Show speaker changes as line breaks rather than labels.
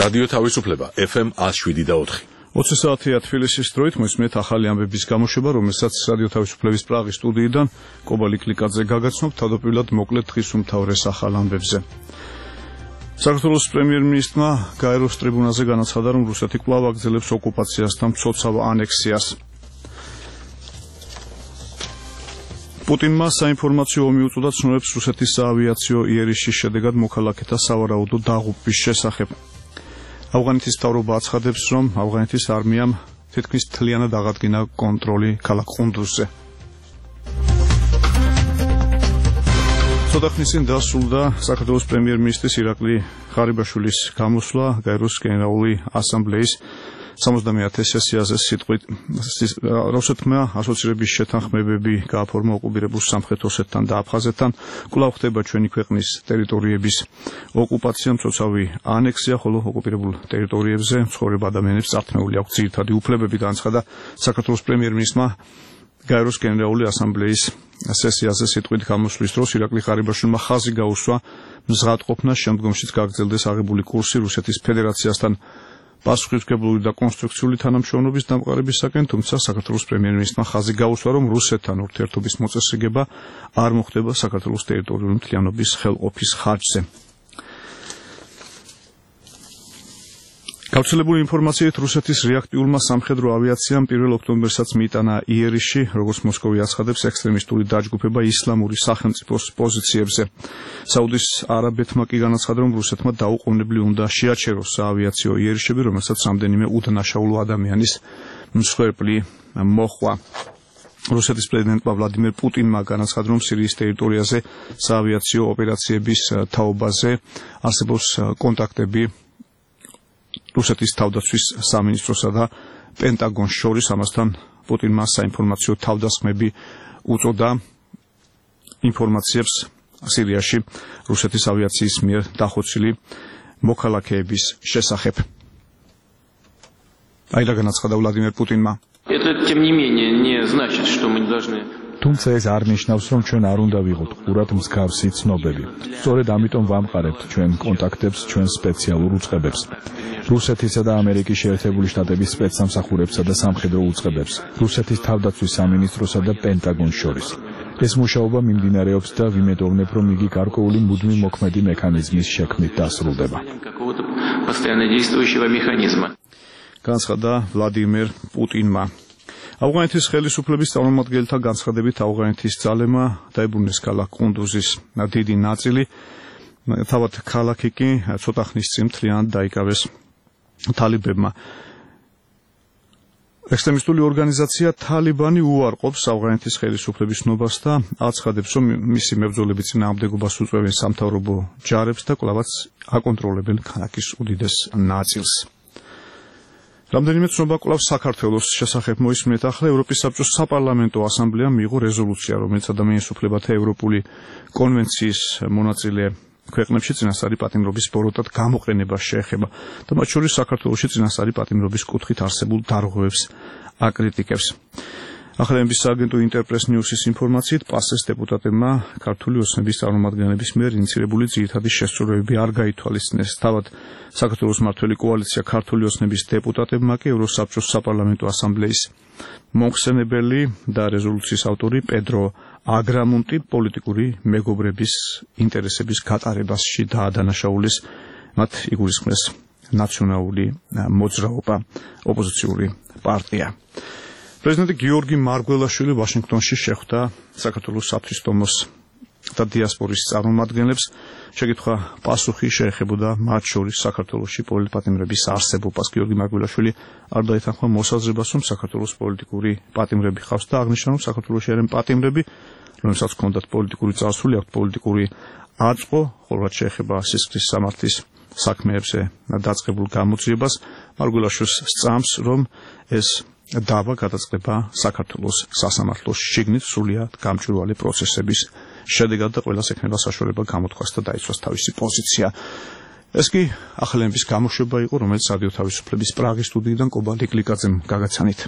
რადიო თავისუფლება FM 107.4.
20 საათია თბილისის დროით მოსმენთ ახალი ამბების გამოშვება, რომელსაც რადიო თავისუფლების პრაღის სტუდიიდან კობალი კლიკაძე გაგაცნობთ თავდაპირველად მოკლედ დღის უმთავრეს ახალ ამბებზე. საქართველოს პრემიერ-მინისტრმა გაეროს ტრიბუნაზე განაცხადა, რომ რუსეთი კვლავ აგრძელებს ოკუპაციას და მცოცავ ანექსიას. პუტინმა საინფორმაციო ომი უწოდა ცნობებს რუსეთის საავიაციო იერიშის შედეგად მოქალაქეთა სავარაუდო დაღუპვის შესახებ. ავღანეთის მთავრობა აცხადებს, რომ ავღანეთის არმიამ თითქმის მთლიანად აღადგინა კონტროლი ქალაქ ყუნდუზზე. ცოტა ხნის წინ დასრულდა საქართველოს პრემიერ-მინისტრის ირაკლი ღარიბაშვილის გამოსვლა გაეროს გენერალური ასამბლეის 71 სესიაზე სიტყვით რუსეთმა ასოცირების შეთანხმებები გააფორმა ოკუპირებულ სამხრეთ ოსეთთან და აფხაზეთთან, კვლავ ხდება ჩვენი ქვეყნის ტერიტორიების ოკუპაცია, მცოცავი ანექსია, ხოლო ოკუპირებულ ტერიტორიებზე მცხოვრებ ადამიანებს წართმეული აქვს ძირითადი უფლებები, განაცხადა საქართველოს პრემიერ-მინისტრმა გაეროს გენერალური ასამბლეის სესიაზე სიტყვით გამოსვლის დროს ირაკლი ღარიბაშვილმა ხაზი გაუსვა მზღადყოფნას, შემდგომშიც გაგრძელდეს აღებული კურსი რუსეთის ფედერაციასთან პასუხისმგებლური და კონსტრუქციული თანამშრომლობის დამყარებისაკენ, თუმცა საქართველოს პრემიერ-მინისტრმა ხაზი გაუსვა, რომ რუსეთთან ურთიერთობის მოწესრიგება არ მოხდება საქართველოს ტერიტორიული მთლიანობის ხელყოფის ხარჯზე. გავრცელებული ინფორმაციით რუსეთის რეაქტიულმა სამხედრო ავიაციამ 1 ოქტომბერსაც მიიტანა იერიში, როგორც მოსკოვი აცხადებს, ექსტრემისტული დაჯგუფება ისლამური სახელმწიფოს პოზიციებზე. საუდის არაბეთმა კი განაცხადა, რომ რუსეთმა დაუყოვნებლივ უნდა შეაჩეროს საავიაციო იერიშები, რომელსაც რამდენიმე უდანაშაულო ადამიანის მსხვერპლი მოჰყვა. რუსეთის პრეზიდენტმა ვლადიმერ პუტინმა განაცხადა, რომ სირიის ტერიტორიაზე საავიაციო ოპერაციების თაობაზე არსებობს კონტაქტები რუსეთის თავდაცვის სამინისტროსა და პენტაგონს შორის. ამასთან პუტინმა საინფორმაციო თავდასხმები უწოდა ინფორმაციებს სირიაში რუსეთის ავიაციის მიერ დახოცილი მოქალაქეების შესახებ. აირა განაცხადა ვლადიმერ პუტინმა.
თუმცა ეს არ ნიშნავს, რომ ჩვენ არ უნდა ვიყოთ ყურად მსგავსი ცნობები. სწორედ ამიტომ ვამყარებთ ჩვენ კონტაქტებს, ჩვენ სპეციალურ უწყებებს, რუსეთისა და ამერიკის შეერთებული შტატების სპეცსამსახურებსა და სამხედრო უწყებებს, რუსეთის თავდაცვის სამინისტროსა და პენტაგონს შორის. ეს მუშაობა მიმდინარეობს და ვიმედოვნებ, რომ იგი გარკვეული მუდმივ მოქმედი მექანიზმის შექმნით დასრულდება.
განაცხადა ვლადიმერ პუტინმა. ავღანეთის ხელისუფლების წარმომადგენელთა განცხადებით ავღანეთის ძალებმა დაიბრუნეს ქალაქ ყუნდუზის დიდი ნაწილი, თავად ქალაქი კი ცოტა ხნის წინ მთლიანად დაიკავეს თალიბებმა. ექსტრემისტული ორგანიზაცია თალიბანი უარყოფს ავღანეთის ხელისუფლების ნობას და აცხადებს, რომ მისი მებრძოლები წინააღმდეგობას უწევენ სამთავრობო ჯარებს და კვლავაც აკონტროლებენ ქალაქის უდიდეს ნაწილს. რამდენიმე ცნობა კვლავ საქართველოს შესახებ მოისმენთ. ახლა ევროპის საბჭოს საპარლამენტო ასამბლეამ მიიღო რეზოლუცია, რომელიც ადამიანის უფლებათა ევროპული კონვენციის მონაწილე ქვეყნებში წინასწარი პატიმრობის ბოროტად გამოყენებას შეეხება და მათ შორის საქართველოში წინასწარი პატიმრობის კუთხით არსებულ დარღვევებს აკრიტიკებს. ახალების სააგენტო ინტერპრეს ნიუსის ინფორმაციით, პასეს დეპუტატებმა ქართული ოცნების წარმომადგენლების მიერ ინიცირებული ძირითადი შესწორებები არ გაითვალისწინეს. თავად საქართველოს მმართველი კოალიცია ქართული ოცნების დეპუტატებმა კი ევროსაბჭოს საპარლამენტო ასამბლეის მომხსენებელი და რეზოლუციის ავტორი პედრო აგრამუნტი პოლიტიკური მეგობრების ინტერესების გატარებაში დაადანაშაულეს, მათ იგულისხმეს ნაციონალური მოძრაობა, ოპოზიციური პარტია. პრეზიდენტი გიორგი მარგველაშვილი ვაშინგტონში შეხვდა საქართველოს საფრთხის და დიასპორის წარმომადგენლებს. შეკითხვა პასუხი შეეხებოდა მათ შორის საქართველოში პოლიტპატიმრების არსებობას. გიორგი მარგველაშვილი არ დაეთანხმა მოსაზრებას, რომ საქართველოს პოლიტიკური პატიმრები ხავს და აღნიშნა, რომ საქართველოში არიან პატიმრები, რომელსაც ჰქონდათ პოლიტიკური წარსული, აქვთ პოლიტიკური აწყვო, ხოლო რაც შეეხება სისხლის სამართლის საქმეებზე დაწყებულ გამოძიებას, მარგველაშვილს სწამს, რომ ეს დავა გადაწყდება საქართველოს სასამართლოს შიგნით სრულიად გამჭვირვალე პროცესების შედეგად და ყველას ექნება საშუალება გამოთქვას და დაიცვას თავისი პოზიცია. ეს კი ახალების გამოშვება იყო, რომელიც რადიო თავისუფლების პრაღის სტუდიიდან კობალდი კლიკაძემ გაგაცანით.